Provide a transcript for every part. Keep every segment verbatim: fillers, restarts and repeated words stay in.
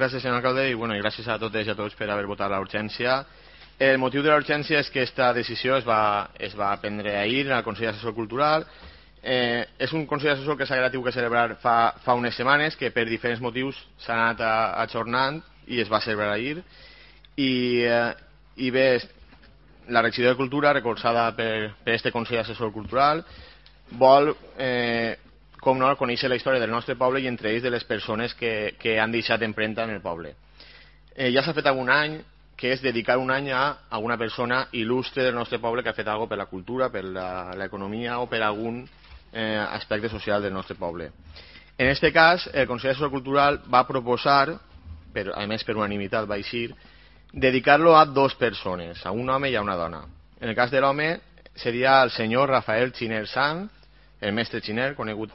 Gràcies, senyor alcalde, i, bueno, i gràcies a totes i a tots per haver votat la urgència. El motiu de la urgència és que aquesta decisió es va, es va prendre ahir al Consell Assessor Cultural. Eh, és un Consell Assessor que s'ha tingut que celebrar fa, fa unes setmanes, que per diferents motius s'ha anat ajornant i es va celebrar ahir. I, eh, i bé, la regidora de Cultura, recolzada per, per este Consell Assessor Cultural, vol, eh, com no, conèixer la història del nostre poble i entre ells de les persones que, que han deixat empremta en el poble. Eh, ja s'ha fet algun any que és dedicar un any a alguna persona il·lustre del nostre poble que ha fet alguna cosa per la cultura, per l'economia o per algun eh, aspecte social del nostre poble. En aquest cas, el Consell Assessor Cultural va proposar, per, a més per unanimitat va eixir, dedicar-lo a dos persones, a un home i a una dona. En el cas de l'home seria el senyor Rafael Xiner Sanz, el mestre Xiner, conegut,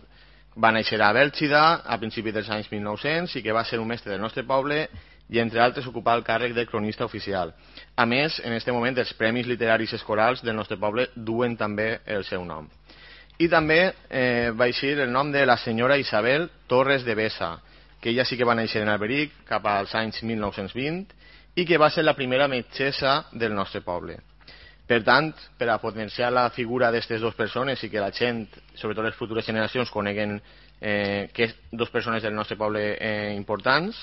va néixer a Bèlgida a principis dels anys mil nou-cents i que va ser un mestre del nostre poble i, entre altres, ocupar el càrrec de cronista oficial. A més, en aquest moment, els premis literaris escolars del nostre poble duen també el seu nom. I també eh, va eixir el nom de la senyora Isabel Torres de Besa, que ella sí que va néixer en Alberic cap als anys mil nou-cents vint i que va ser la primera metgessa del nostre poble. Per tant, per a potenciar la figura d'aquestes dues persones i que la gent, sobretot les futures generacions, coneguen eh, que és dues persones del nostre poble eh, importants,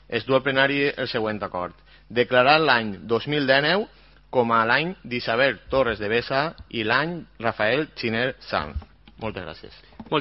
es du al plenari el següent acord. Declarar l'any dos mil dinou com a l'any d'Isabel Torres de Besa i l'any Rafael Xiner Sanz. Moltes gràcies.